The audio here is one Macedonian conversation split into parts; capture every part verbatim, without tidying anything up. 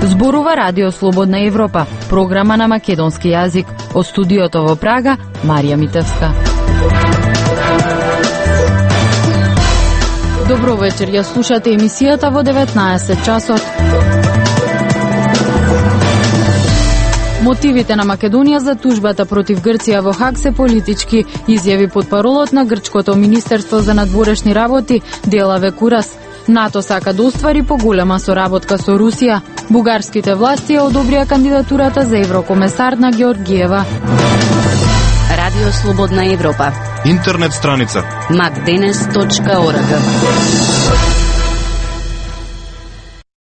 Зборува Радио Слободна Европа, програма на македонски јазик. Од студиото во Прага, Марија Митевска. Добро вечер, ја слушате емисијата во деветнаесет часот. Мотивите на Македонија за тужбата против Грција во Хаг се политички, изјави потпаролот на грчкото Министерство за надворешни работи Делаве Курас. НАТО сака да оствари поголема соработка со Русија. Бугарските власти ја одобрија кандидатурата за еврокомесар на Георгиева. Радио Слободна Европа. Интернет страница макденес точка орг.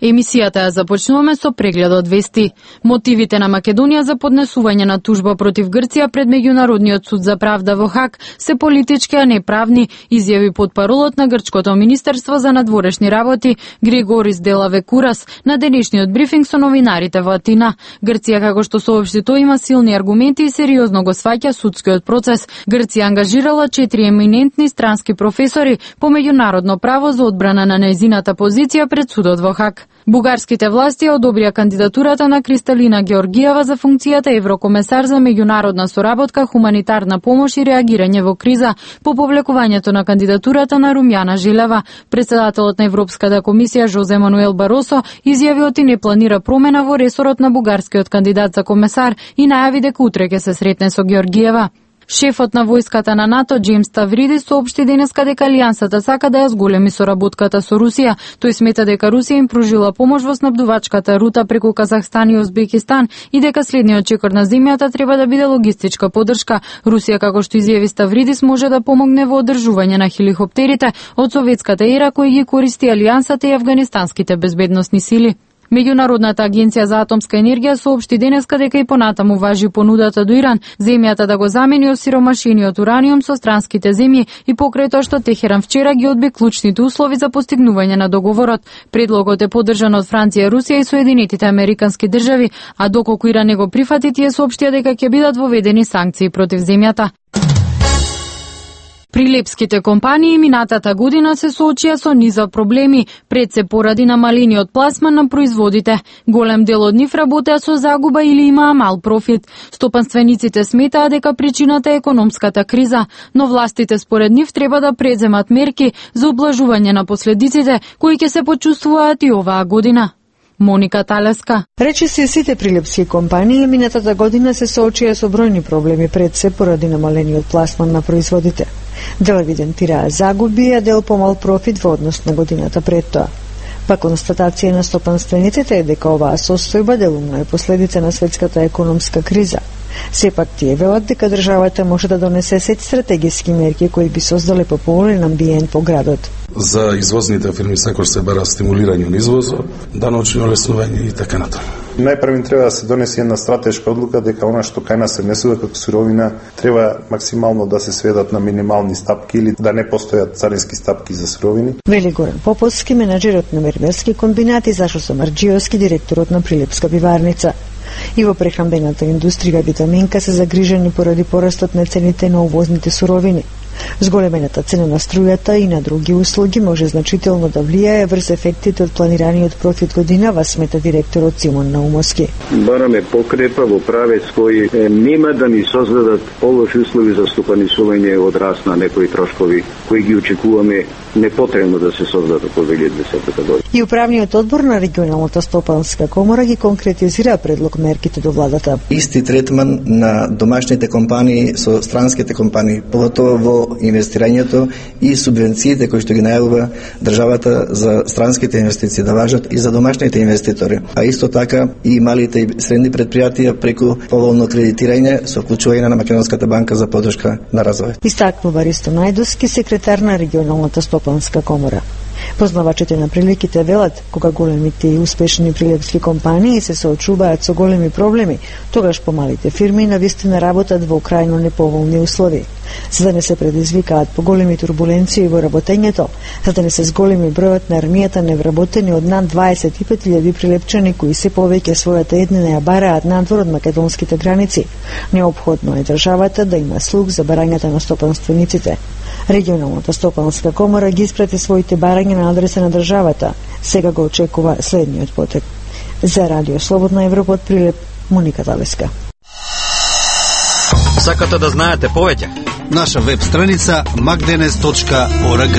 Емисијата ја започнуваме со прегледот вести. Мотивите на Македонија за поднесување на тужба против Грција пред Меѓународниот суд за правда во Хаг се политички, а не правни, изјави потпаролот на грчкото Министерство за надворешни работи Григорис Делаве Курас на денешниот брифинг со новинарите во Атина. Грција, како што соопшти тој, има силни аргументи и сериозно го сваќа судскиот процес. Грција ангажирала четири еминентни странски професори по меѓународно право за одбрана на нејзината позиција пред судот во Хаг. Бугарските власти одобрија кандидатурата на Кристалина Георгиева за функцијата еврокомесар за меѓународна соработка, хуманитарна помош и реагирање во криза по повлекувањето на кандидатурата на Румјана Желева. Претседателот на Европската комисија Жозе Мануел Баросо изјави оти не планира промена во ресорот на бугарскиот кандидат за комесар и најави дека утре ќе се сретне со Георгиева. Шефот на војската на НАТО Џејмс Ставридис соопшти денеска дека Алијансата сака да ја зголеми соработката со Русија. Тој смета дека Русија им пружила помош во снабдувачката рута преку Казахстан и Узбекистан и дека следниот чекор на земјата треба да биде логистичка поддршка. Русија, како што изјави Ставридис, може да помогне во одржување на хеликоптерите од советската ера кои ги користи Алијансата и афганистанските безбедносни сили. Меѓународната агенција за атомска енергија соопшти денеска дека и понатаму важи понудата до Иран земјата да го замени осиромашениот ураниум со странските земји и покрај тоа што Техеран вчера ги одби клучните услови за постигнување на договорот. Предлогот е поддржан од Франција, Русија и Соединетите Американски држави, а доколку Иран не го прифати, тие соопштија дека ќе бидат воведени санкции против земјата. Прилепските компании минатата година се соочија со низа проблеми, пред се поради намалениот пласман на производите. Голем дел од нив работеа со загуба или имаа мал профит. Стопанствениците сметаа дека причината е економската криза, но властите според нив треба да преземат мерки за облажување на последиците кои ќе се почувствуваат и оваа година. Моника Талеска. Речиси сите прилепски компании минатата година се соочија со бројни проблеми пред се поради намалениот пласман на производите. Дел евидентираа загуби, а дел помал профит во однос на годината пред тоа. Па констатација на стопанствениците е дека оваа состојба делумно е последица на светската економска криза. Сепак тие велат дека државата може да донесе сет стратегиски мерки кои би создале пополнен амбиент по градот. За извозните фирми секој се бара стимулирање на извозот, даночни олеснување и така натаму. Најпрвин треба да се донесе една стратешка одлука дека она што кај нас се внесува како суровина треба максимално да се сведат на минимални стапки или да не постојат царински стапки за суровини. Вели Горан Поповски, менаџерот на мермерски комбинат, и Зашо Самарџиевски, директорот на Прилепска пиварница. И во прехрамбената индустрија витаминка се загрижени поради порастот на цените на увозните суровини. Зголемената цена на струјата и на други услуги може значително да влијае врз ефектите од планираниот профит годинава, смета директорот Симон Наумовски. Бараме покрепа во правец кој е, нема да ни создадат полоши услови за стопанисување од раст на некои трошкови кои ги очекуваме непотребно да се создадат во две илјади и десета година. И управниот одбор на регионалната стопанска комора ги конкретизира предлог мерките до владата. Исти третман на домашните компании со странските компании, поготово во инвестирањето и субвенциите кои што ги најавува државата за странските инвестиции да важат и за домашните инвеститори, а исто така и малите и средни предпријатија преку поволно кредитирање со вклучување на Македонската банка за поддршка на развој. Истакнува Ристо Најдовски, секретар на регионалната стопанска комора. Познавачите на приликите велат, кога големите и успешни прилепски компании се соочуваат со големи проблеми, тогаш помалите фирми навистина работат во крајно неповолни услови. За да не се предизвикаат поголеми турбуленции во работењето, за да не се зголеми бројот на армијата невработени од над дваесет и пет илјади прилепчани кои се повеќе својата еднина ја бараат надвор од македонските граници, неопходно е државата да има слух за барањата на стопанствениците. Регионалната стопанска комора ги испрати своите барања на адреса на државата. Сега го очекува следниот потек. За Радио Слободна Европа од Прилеп, Моника Талеска. Сакате да знаете повеќе? Наша веб страница макденес точка орг.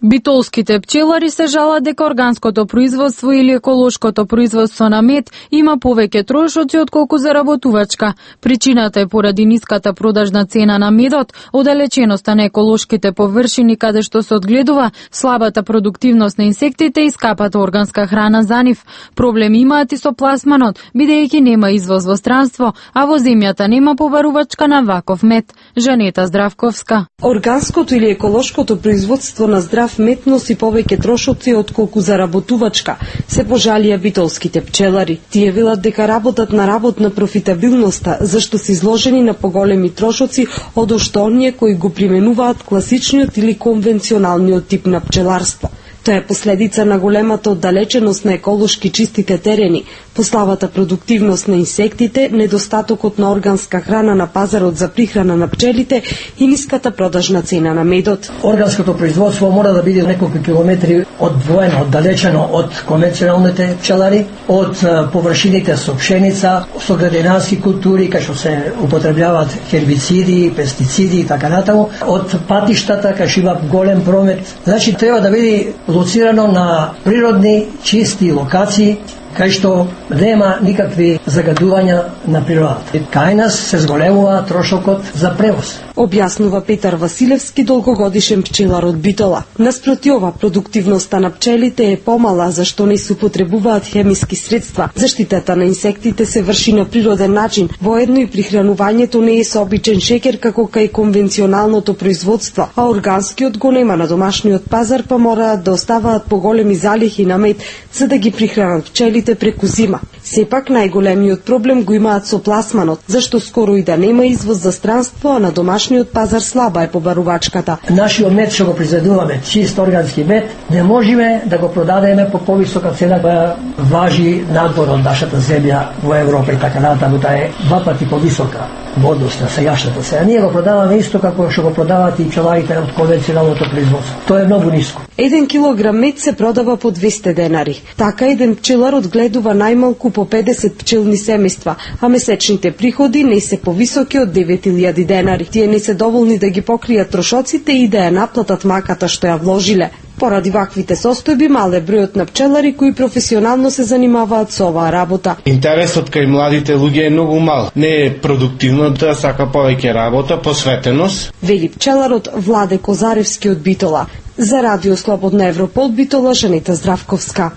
Битолските пчелари се жалат дека органското производство или еколошкото производство на мед има повеќе трошоци отколку заработувачка. Причината е поради ниската продажна цена на медот, оддалеченоста на еколошките површини каде што се одгледува, слабата продуктивност на инсектите и скапата органска храна за нив. Проблеми имаат и со пласманот, бидејќи нема извоз во странство, а во земјата нема побарувачка на ваков мед. Жанета Здравковска. Органското или еколошкото производство на здрав мед носи повеќе трошоци отколку заработувачка, се пожалија битолските пчелари. Тие велат дека работат на работна профитабилноста, зашто се изложени на поголеми трошоци од што оние кои го применуваат класичниот или конвенционалниот тип на пчеларство. Тоа е последица на големата оддалеченост на еколошки чистите терени, послабата продуктивност на инсектите, недостатокот на органска храна на пазарот за прихрана на пчелите и ниската продажна цена на медот. Органското производство мора да биде неколку километри одвоено, оддалечено од конвенционалните пчелари, од површините со пшеница, со градинарски култури, кај што се употребljаваат хербициди, пестициди и така натаму, од патиштата кај што има голем промет. Значи треба да биде лоцирано на природни, чисти локации, кај што нема никакви загадувања на природата. Кај нас се зголемува трошокот за превоз. Објаснува Петар Василевски, долгогодишен пчелар од Битола. Наспроти ова, продуктивноста на пчелите е помала, зашто не се употребуваат хемиски средства. Заштитата на инсектите се врши на природен начин, воедно и прихранувањето не е со обичен шекер како кај конвенционалното производство, а органскиот го нема на домашниот пазар, па мораат да оставаат поголеми залихи на мед за да ги прихранат пчелите преку зима. Сепак најголемиот проблем го имаат со пласманот, зашто скоро и да нема извоз за странство, а на домашниот пазар слаба е побарувачката. Нашиот мед што го произведуваме, чист органски мед, не можеме да го продадеме по повисока цена која важи надвор од нашата земја во Европа и така натаму, таа е два пати повисока во однос на сегашната цена. Ние го продаваме исто како што го продаваат и пчеларите од конвенционалното производство. Тоа е многу ниско. Еден килограм мед се продава по двесте денари. Така еден пчелар одгледува најмалку по педесет пчелни семејства, а месечните приходи не се повисоки од девет илјади денари. Тие не се доволни да ги покријат трошоците и да ја наплатат маката што ја вложиле. Поради ваквите состојби мале бројот на пчелари кои професионално се занимаваат со оваа работа. Интересот кај младите луѓе е многу мал. Не е продуктивно, да сака повеќе работа, посветеност. Вели пчеларот Владе Козаревски од Битола. За Радио Слободна Европа од Битола, Жанета Здравковска.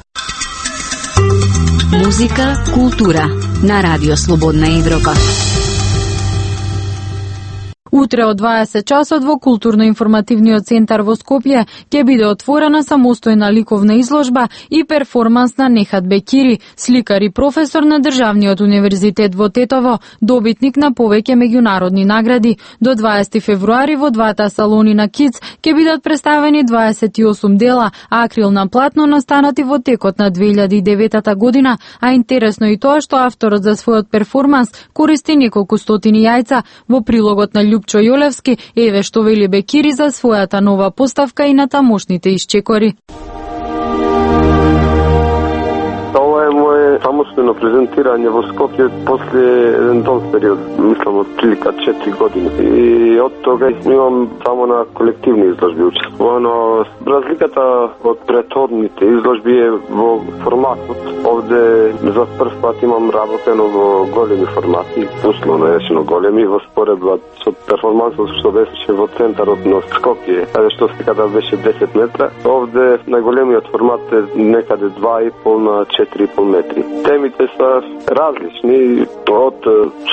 Музика, култура на Радио Слободна Европа. Утре од дваесет часот во Културно-информативниот центар во Скопје ќе биде отворена самостојна ликовна изложба и перформанс на Нехат Бекири, сликар и професор на Државниот универзитет во Тетово, добитник на повеќе меѓународни награди. До дваесети февруари во двата салони на КИЦ ќе бидат представени дваесет и осум дела, а акрилна платно настанати во текот на две илјади и девета година, а интересно и тоа што авторот за својот перформанс користи неколку стотини јајца. Во прилогот на Љупчо Јолевски, еве што вели Бекири за својата нова поставка и на тамошните исчекори. Ова е моје самостојно презентирање во Скопје после еден долг период, мислам од прилика четири години. И од тога имам само на колективни изложби учествувано. Разликата од претходните изложби е во форматот. Овде за прв пат имам работено во големи формати, условно речено големи, во споредба со перформансот што беше во центарот на Скопје, каде што сликата беше десет метра. Овде најголемиот формат е некаде два и пол на четири и пол метри. Темите се различни, од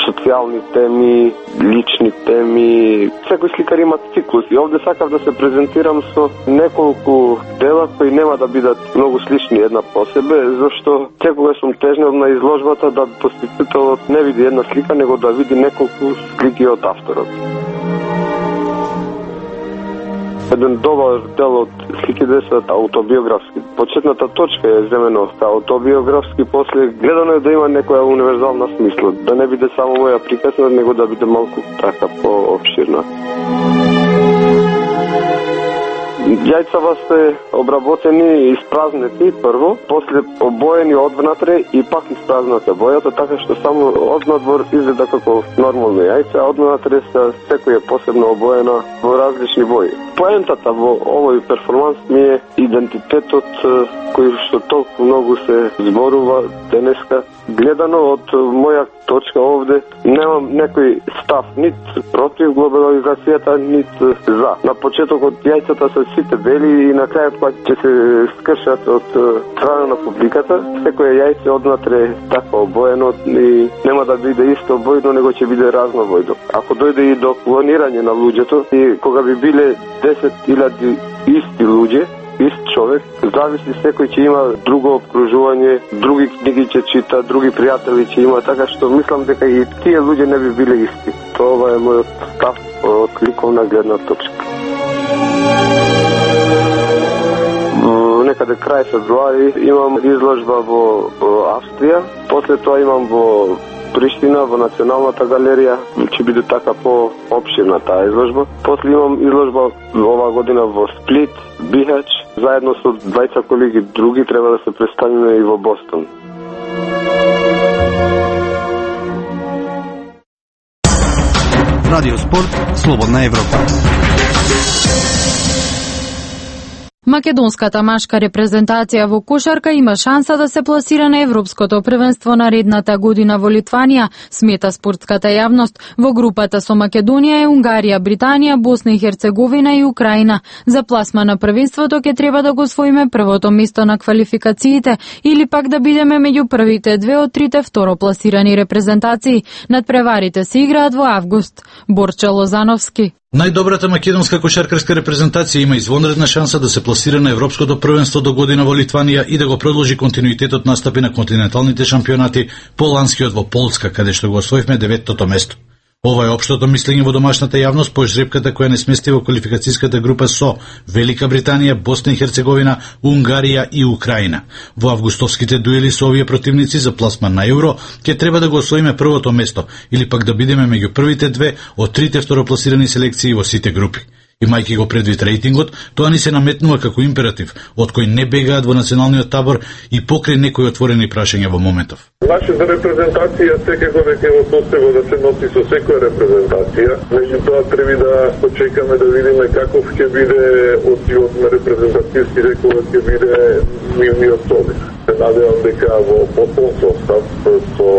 социјални теми, лични теми. Секој сликар има циклус и овде сакав да се презентирам со неколку дела кои нема да бидат многу слични една по себе, зашто секогаш сум тежнел на изложбата да посетителот не види една слика, него да види неколку слики од авторот. еден добар дел од сликите се аутобиографски. Почетната точка е земено аутобиографски, после гледано е да има некоја универзална смисла, да не биде само моја приказна, него да биде малку така пообширна. Јајцава се обработени и испразнети прво, после обоени одвнатре и пак испразнате бојата, така што само однадвор изгледа како нормално јајце, а одвнатре се секој е посебно обоена во различни бои. Поентата во овој перформанс ми е идентитетот кој што толку многу се зборува денеска. Гледано од моја точка овде, немам некој став нит против глобализацијата, нит за. На почетокот јајцата се сите бели и на крајот кога ќе се скршат од страна на публиката, секој јајце однатре така обоено и нема да биде исто бојно, него ќе биде разнобојно. Ако дојде и до клонирање на луѓето, и кога би биле десет илјади исти луѓе, ист човек, зависи, секој ќе има друго обкружување, други книги ќе чита, други пријатели ќе има, така што мислам дека и тие луѓе не би биле исти. Тоа е мојот став од ликовна гледна точка. Некаде крај февруари имам изложба во Австрија, после тоа имам во Приштина, во Националната галерија, ќе биде така по-обширна таа изложба. После имам изложба оваа година во Сплит, Бихач, заедно со двајца колеги други треба да се представиме и во Бостон. Радио Спорт, Слободна Европа. Македонската машка репрезентација во кошарка има шанса да се пласира на Европското првенство наредната година во Литванија, смета спортската јавност. Во групата со Македонија е Унгарија, Британија, Босна и Херцеговина и Украина. За пласма на првенството ќе треба да го освоиме првото место на квалификациите или пак да бидеме меѓу првите две од трите второпласирани репрезентации. Надпреварите се играат во август. Борче Лозановски. Најдобрата македонска кошаркарска репрезентација има извонредна шанса да се пласира на Европското првенство до година во Литванија и да го продолжи континуитетот настапи на континенталните шампионати, по-ланскиот во Полска, каде што го освоивме деветото место. Ова е општото мислење во домашната јавност по жребката која не смести во квалификацијската група со Велика Британија, Босна и Херцеговина, Унгарија и Украина. Во августовските дуели со овие противници за пласман на Евро ќе треба да го освоиме првото место или пак да бидеме меѓу првите две од трите второпласирани селекции во сите групи. Имајќи го предвид рейтингот, тоа ни се наметнува како императив, од кој не бегаат во националниот табор и покрај некои отворени прашања во моментов. Нашата репрезентација секако дека е во состојба да се носи со секоја репрезентација, меѓутоа треба да почекаме да видиме каков ќе биде одивот на репрезентативските кога ќе биде нивниот собир. Се надевам дека во потполн состав со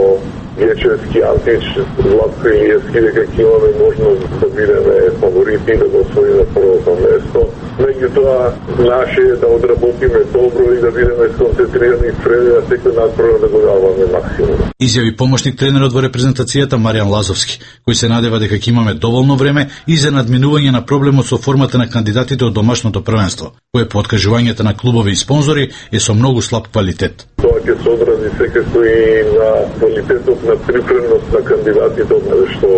Јечевски, Антич, Златко Илиевски, дека ќе имаме можност да бидеме фаворити и да го освоиме првото место. Меѓутоа, наше е да одработиме добро и да бидеме сконцентрирани и спремни на секој надпрво да го даваме максимум. Изјави помошник тренерот во репрезентацијата Маријан Лазовски, кој се надева дека ќе имаме доволно време и за надминување на проблемот со формата на кандидатите од домашното првенство, кое по откажувањата на клубови и спонзори е со многу слаб квалитет. Тоа ќе се одрази секако и на квалитетот на припремност на кандидатите што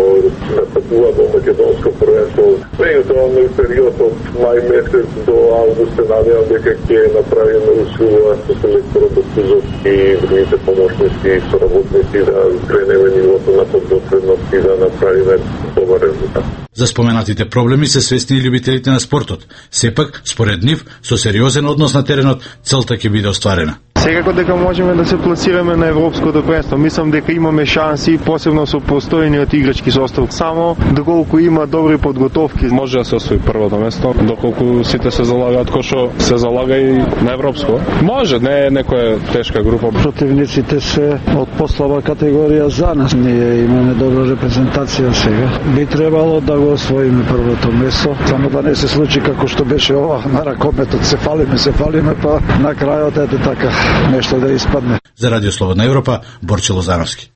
настапуваат во македонско првенство. Меѓутоа, на период од мај месец до август се надевам дека ќе направиме услуга со селекторот Бостузов и другите помошници и соработници да кренеме нивото на подготвеност и да направиме добар резултат. За споменатите проблеми се свесни и љубителите на спортот. Сепак, според нив, со сериозен однос на теренот, целта ќе биде остварена. Секако дека можеме да се пласираме на европското првенство. Мислам дека имаме шанси, посебно со постојниот играчки состав. Само доколку има добри подготовки, може да се освои првото место, доколку сите се залагаат кој што се залага и на европско. Може, не е некоја тешка група. Противниците се од послаба категорија за нас. Ние имаме добра репрезентација сега. Би требало да го освоиме првото место, само да не се случи како што беше ова на ракометот. Се фалиме, се фалиме, па на крајот ете така нешто да испадне. За Радио Слободна Европа, Борче Лозановски.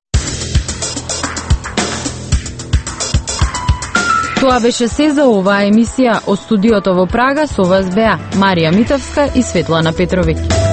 Тоа беше се за оваа емисија. Од студиото во Прага со вас беа Марија Митовска и Светлана Петровиќ.